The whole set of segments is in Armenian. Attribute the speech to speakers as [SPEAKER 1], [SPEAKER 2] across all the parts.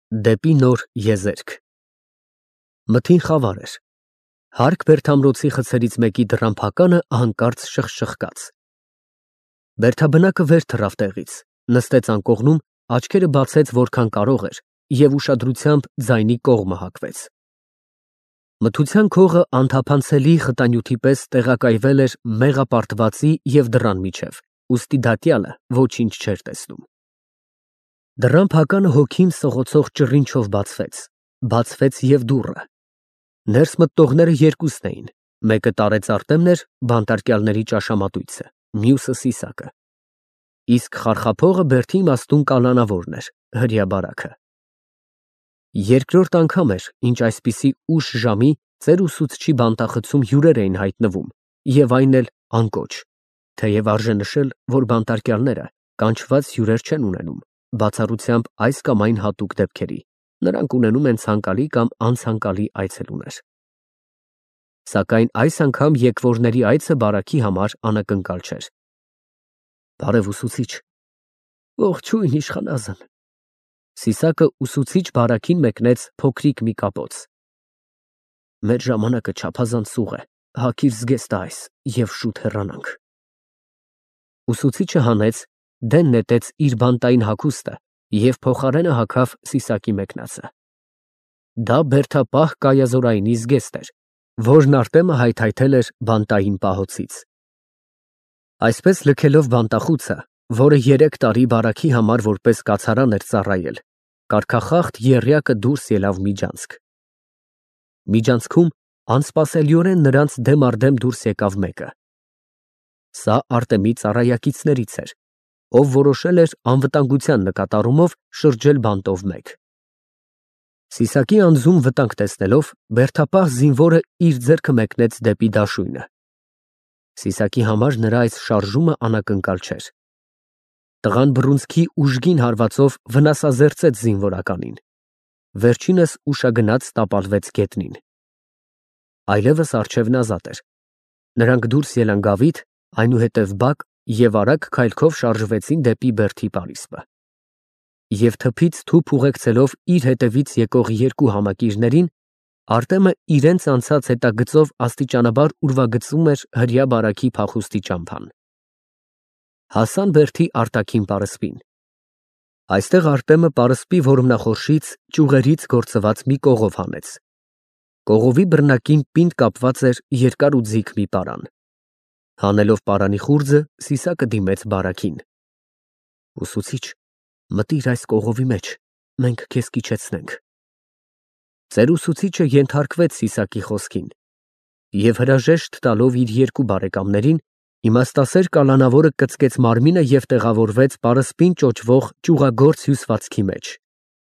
[SPEAKER 1] Դեպի նոր եզերք։ Մթին խավար էր։ Հարկ բերդամրոցի խցերից մեկի դռան փականը հանկարծ շխկաց։ Բերդաբնակը վեր թռավ տեղից, նստեց անկողնում, աչքերը բացեց որքան կարող էր և ուշադրությամբ ձայնի կողմը հակվեց։ Մթության քողը անթափանցելի խտանյութի պես տեղակայվել էր մեղապարտվածի և դռան միջև, ուստի դատյալը ոչինչ չէր տեսնում։ Դռան փականը հոգին սղոցող ճռինչով բացվեց և դուռը։ Ներս մտնողները երկուսն էին, մեկը տարեց Արտեմն էր, բանտարկյալների ճաշամատույցը, մյուսը Սիսակը, իսկ խարխափողը բերդի իմաստուն կալանավորն էր, հրեաբարագը։ Երկրորդ անգամ էր, ինչ այսպիսի ուշ ժամի ծեր ուսուցչի բանտախցում հյուրեր էին հայտնվում և այն էլ անկոչ, թեև արժե նշել, որ բանտարկյալները կանչված հյուրեր չեն ունենում, բացառությամբ այս կամ այն հատուկ դեպքերի, նրանք ունենում են ցանկալի կամ անցանկալի այցելուներ։ Սակայն այս անգամ եկվորների այցը բարաքի համար անակնկալ չէր։ Բարև ուսուցիչ։ Ողջույն իշխանազն։ Սիսակը ուսուցիչ բարաքին մեկնեց փոքրիկ մի կապոց։ Մեր ժամանակը չափազանց սուղ է, հագիր զգեստը այս և շուտ հեռանանք։ Ուսուցիչը հանեց, դեն նետեց իր բանտային հագուստը և փոխարենը հագավ Սիսակի մեկնածը։ Դա բերդապահ կայազորայինի զգեստ էր, որն Արտեմը հայթայթել էր բանտային պահոցից։ Այսպես լքելով բանտախուցը, որը 3 տարի բարաքի համար որպես կացարան էր ծառայել, կարգախախտ եռյակը դուրս ելավ միջանցք։ Միջանցքում անսպասելիորեն նրանց դեմ առ դեմ դուրս եկավ մեկը։ Սա Արտեմի ծառայակիցներից էր, ով որոշել էր անվտանգության նկատառումով շրջել բանտով մեկ։ Սիսակի անձում վտանգ տեսնելով, բերդապահ զինվորը իր ձեռքը մեկնեց դեպի դաշույնը։ Սիսակի համար նրա այս շարժումը անակնկալ չէր։ Տղան բռունցքի ուժգին հարվածով վնասազերծեց զինվորականին։ Վերջինս ուշագնաց տապալվեց գետնին։ Այլևս առջևն ազատ էր։ Նրանք դուրս ելան գավիթ, այնուհետև բակ և արագ քայլքով շարժվեցին դեպի բերդի պարիսպը։ Եվ թփից թուփ ուղեկցելով իր հետևից եկող 2 համակիրներին, Արտեմը իրենց անցած հետագծով աստիճանաբար ուրվագծում էր հրեաբարագի փախուստի ճամփան։ Հասան բերդի արտաքին պարսպին։ Այստեղ Արտեմը պարսպի որմնախորշից ճյուղերից գործված մի կողով հանեց։ Կողովի բռնակին պինդ կապված էր երկար ու ձիգ մի պարան։ Հանելով պարանի խուრძը, Սիսակը դիմեց բարաքին։ Ուսուցիչ, մտիր այս կողովի մեջ, մենք քեզ կիջեցնենք։ Ծեր ուսուցիչը ենթարկվեց Սիսակի խոսքին և հրաժեշտ տալով իր 2 բարեկամներին, իմաստասեր կալանավորը կծկեց մարմինը և տեղավորվեց պարսպին ճոճվող ճյուղագործ հյուսվածքի մեջ,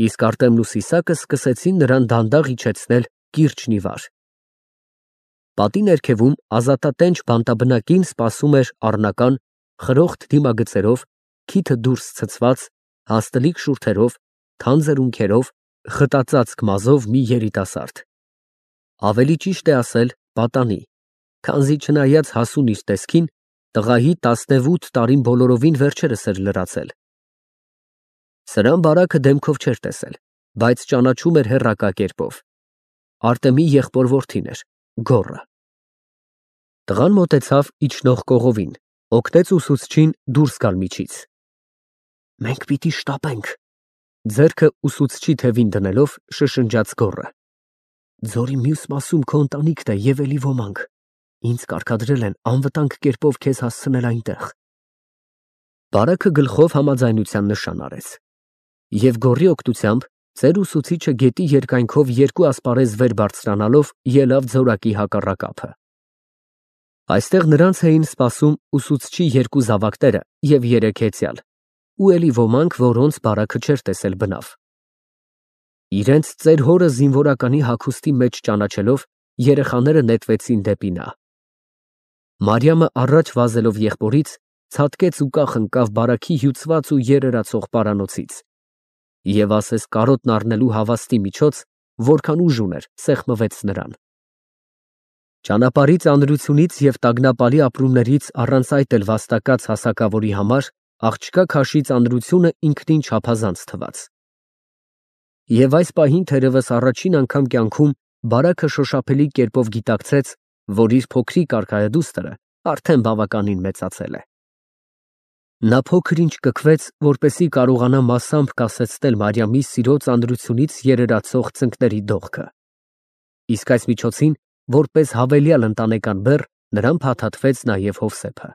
[SPEAKER 1] իսկ Արտեմն ու Սիսակը սկսեցին նրան դանդաղ իջեցնել կիրճն ի վար։ Պատի ներքևում ազատատենչ բանտաբնակին սպասում էր առնական, խրոխտ դիմագծերով, քիթը դուրս ցցված, հաստլիկ շուրթերով, թանձր ունքերով, խտածածկ մազով մի երիտասարդ։ Ավելի ճիշտ է ասել պատանի, քանզի չնայած հասուն իր տեսքին, տղայի 18 տարին բոլորովին վերջերս էր լրացել։ Սրան բարաքը դեմքով չէր տեսել, բայց ճանաչում էր հեռակա կերպով։ Արտեմի եղբոր որդին էր, գոռը։ Տղան մոտեցավ իջնող կողովին, օգնեց ուսուցչին դուրս գալ միջից։ Մենք պիտի շտապենք, ձեռքը ուսուցչի թևին դնելով շշնջաց գոռը։ Ձորի մյուս մասում քո ընտանիքն է և էլի ոմանք, ինձ կարգադրել են անվտանգ կերպով քեզ հասցնել այնտեղ։ Բարաքը գլխով համաձայնության նշան արեց։ Եվ գոռի օգնությամբ ծեր ուսուցիչը գետի երկայնքով 2 ասպարեզ վեր բարձրանալով ելավ ձորակի հակառակ ափը։ Այստեղ նրանց էին սպասում ուսուցչի 2 զավակները և 3 հեծյալ, ու էլի ոմանք, որոնց բարաքը չէր տեսել բնավ։ Իրենց ծեր հորը զինվորականի հագուստի մեջ ճանաչելով, երեխաները նետվեցին դեպի նա։ Մարիամը առաջ վազելով եղբորից, ցատկեց ու կախ ընկավ բարաքի հյուծված ու երերացող պարանոցից և ասես կարոտն առնելու հավաստի միջոց, որքան ուժ ուներ, սեղմվեց նրան։ Ճանապարհի ծանրությունից և տագնապալի ապրումներից առանց այդ էլ վաստակած հասակավորի համար աղջկա քաշի ծանրությունը ինքնին չափազանց թվաց։ Եվ այս պահին թերևս առաջին անգամ կյանքում Բարակը շոշափելի կերպով գիտակցեց, որ իր փոքրիկ արքայադուստրը արդեն բավականին մեծացել է։ Նա փոքր ինչ կքվեց, որպեսզի կարողանա մասամբ կասեցնել Մարիամի սիրո ծանրությունից երերացող ծնկների դողքը։ Իսկ այս միջոցին, որպես հավելյալ ընտանեկան բեռ, նրան փաթաթվեց նաև Հովսեփը։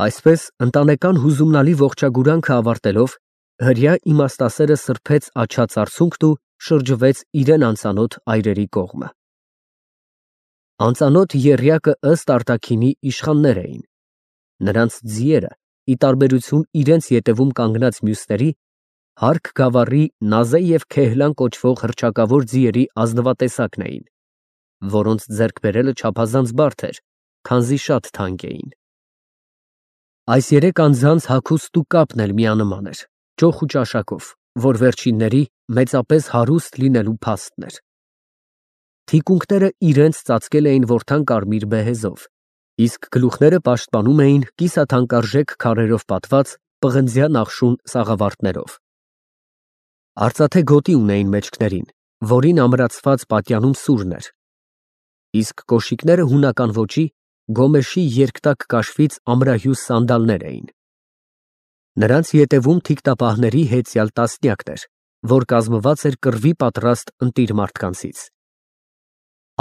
[SPEAKER 1] Այսպես, ընտանեկան հուզումնալի ողջագուրանքը ավարտելով, հրյա իմաստասերը սրբեց աչած արցունքն ու շրջվեց իրեն անծանոթ այրերի կողմը։ Անծանոթ եռյակը ըստ արտաքինի իշխաններ էին։ Նրանց ձիերը, ի տարբերություն իրենց ետևում կանգնած մյուսների, հարկ գավառի Նազե և Քեհլան կոչվող հռչակավոր ձիերի ազնվատեսակն էին, որոնց ձեռք բերելը չափազանց բարդ էր, քանզի շատ թանկ էին։ Այս երեք անձանց հագուստն ու կապն էլ միանման էր, ճոխ ու ճաշակով, որ վերջինների մեծապես հարուստ լինելու փաստն էր։ Թիկունքները իրենց ծածկել էին որդան կարմիր բեհեզով, իսկ գլուխները պաշտպանում էին կիսաթանկարժեք քարերով պատված պղնձյա նախշուն սաղավարտներով։ Արծաթե գոտի ունեին մեջքներին, որին ամրացված պատյանում սուրն էր, իսկ կոշիկները հունական ոճի գոմեշի երկտակ կաշվից ամրահյուս սանդալներ էին։ Նրանց ետևում թիկտապահների հեծյալ տասնյակն էր, որ կազմված էր կռվի պատրաստ ընտիր մարդկանցից։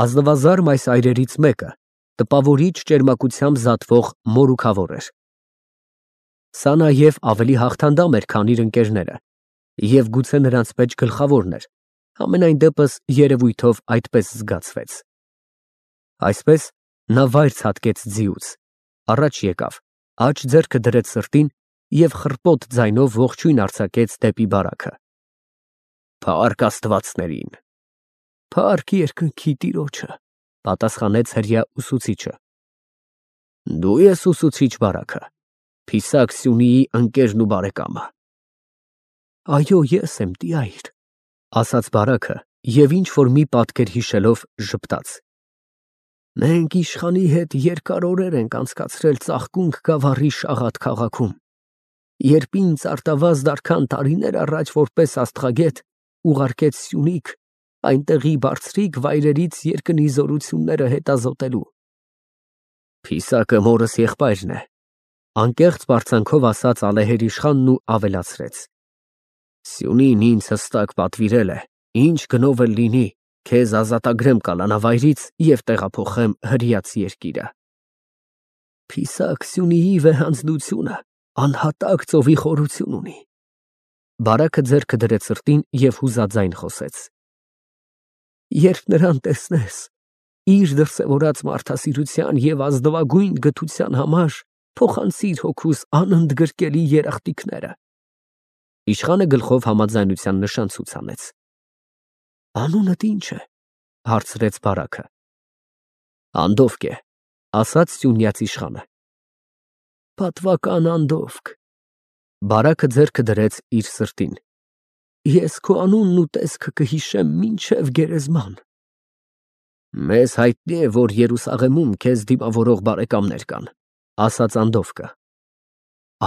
[SPEAKER 1] Ազնվազարմ այս այրերից մեկը տպավորիչ ճերմակությամբ զատվող մորուքավոր էր։ Սա նաև ավելի հաղթանդամ էր, քան իր ընկերները, և գուցե նրանց մեջ գլխավորն էր, համենայն դեպս երևույթով այդպես զգացվեց։ Այսպես նա վայր ցատկեց ձիուց, առաջ եկավ, աջ ձեռքը դրեց սրտին և խռպոտ ձայնով ողջույն արձակեց դեպի Բարակը։ Փառք աստվածներին։ Փառք երկնքի Տիրոջը, պատասխանեց հրյա ուսուցիչը։ Դու ես ուսուցիչ Բարակը, Փիսակ Սյունիի ընկերն ու բարեկամը։ Այո, ես եմ, տյայր, ասաց Բարակը և ինչ-որ մի պատկեր հիշելով ժպտաց։ Մենք իշխանի հետ երկար օրեր ենք անցկացրել Ծաղկունք գավառի Շաղատ քաղաքում, երբ ինձ արտավազդ արքան տարիներ առաջ որպես աստղագետ ուղարկեց Սյունիք այնտեղի բարձրիկ վայրերից երկնի զորությունները հետազոտելու։ Փիսակը մորս եղբայրն է, անկեղծ բարձանքով ասաց ալեհեր իշխանն ու ավելացրեց. Սյունին ինձ հստակ պատվիրել է, ինչ գնով էլ լինի, քեզ ազատագրեմ կալանավայրից և տեղափոխեմ հրյաց երկիրը։ Փիսակ Սյունիի վեհանձնությունը անհատակ ծովի խորություն ունի։ Բարակը ձեռքը դրեց սրտին և հուզաձայն խոսեց։ Երբ նրան տեսնես, իր դրսևորած մարդասիրության և ազնվագույն գթության համար փոխանցիր հոգուս անընդգրկելի երախտիկները։ Իշխանը գլխով համաձայնության նշան ցույց անեց։ Անունդ ի՞նչ է, հարցրեց Բարակը։ Անդովկ է, ասաց սյունյաց իշխանը։ Պատվական Անդովկ։ Բարակը ձեռքը դրեց իր սրտին։ Ես քո անունն ու տեսքը կհիշեմ մինչև գերեզման։ Մեզ հայտնի է, որ Երուսաղեմում քեզ դիմավորող բարեկամներ կան, ասաց Անդովկը։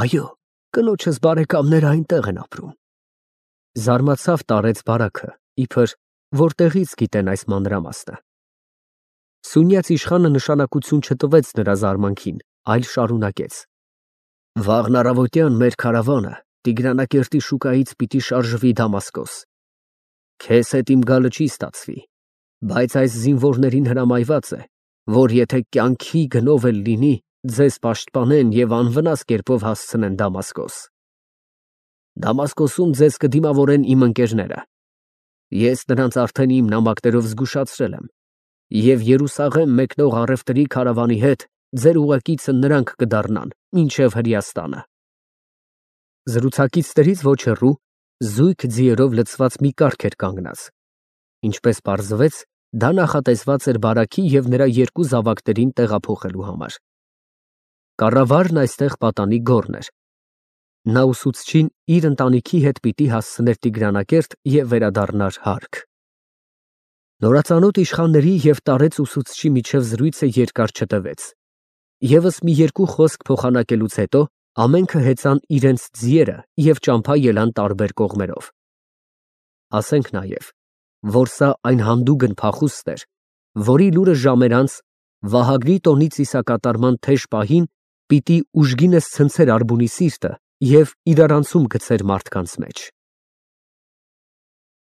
[SPEAKER 1] Այո, կնոջս բարեկամները այնտեղ են ապրում։ Զարմացավ տարեց Բարակը, իբր որտեղից գիտեն այս մանրամասնը։ Սյունյաց իշխանը նշանակություն չտվեց նրա զարմանքին, այլ շարունակեց. Վաղն առավոտյան մեր քարավանը Տիգրանակերտի շուկայից պիտի շարժվի Դամասկոս։ Քեզ հետ իմ գալը չի ստացվի, բայց այս զինվորներին հրամայված է, որ եթե կյանքի գնով էլ լինի, ձեզ պաշտպանեն և անվնաս կերպով հասցնեն Դամասկոս։ Դամասկոսում ձեզ կդիմավորեն իմ ընկերները։ Ես նրանց արդեն իմ նամակներով զգուշացրել եմ, և Երուսաղեմ մեկնող առևտրի քարավանի հետ ձեր ուղեկիցը նրանք կդառնան մինչև Հրեաստանը։ Զրուցակիցներից ոչ հեռու զույգ ձիերով լցված մի կառք էր կանգնած։ Ինչպես պարզվեց, դա նախատեսված էր Բարակի և նրա երկու զավակներին տեղափոխելու համար։ Կառավարն այստեղ պատանի գոռն էր։ Նա ուսուցչին իր ընտանիքի հետ պիտի հասցներ Տիգրանակերտ և վերադառնար հարկ։ Նորածանոթ իշխանների և տարեց ուսուցչի միջև զրույցը երկար չտևեց։ Եվս մի երկու խոսք փոխանակելուց հետո ամենքը հեծան իրենց ձիերը և ճամփա ելան տարբեր կողմերով։ Ասենք նաև, որ սա այն հանդուգն փախուստ էր, որի լուրը ժամեր անց Վահագնի տոնի ծիսակատարման թեժ պահին պիտի ուժգինս ցնցեր Ալբունի սիրտը և իրարանցում գցեր մարդկանց մեջ։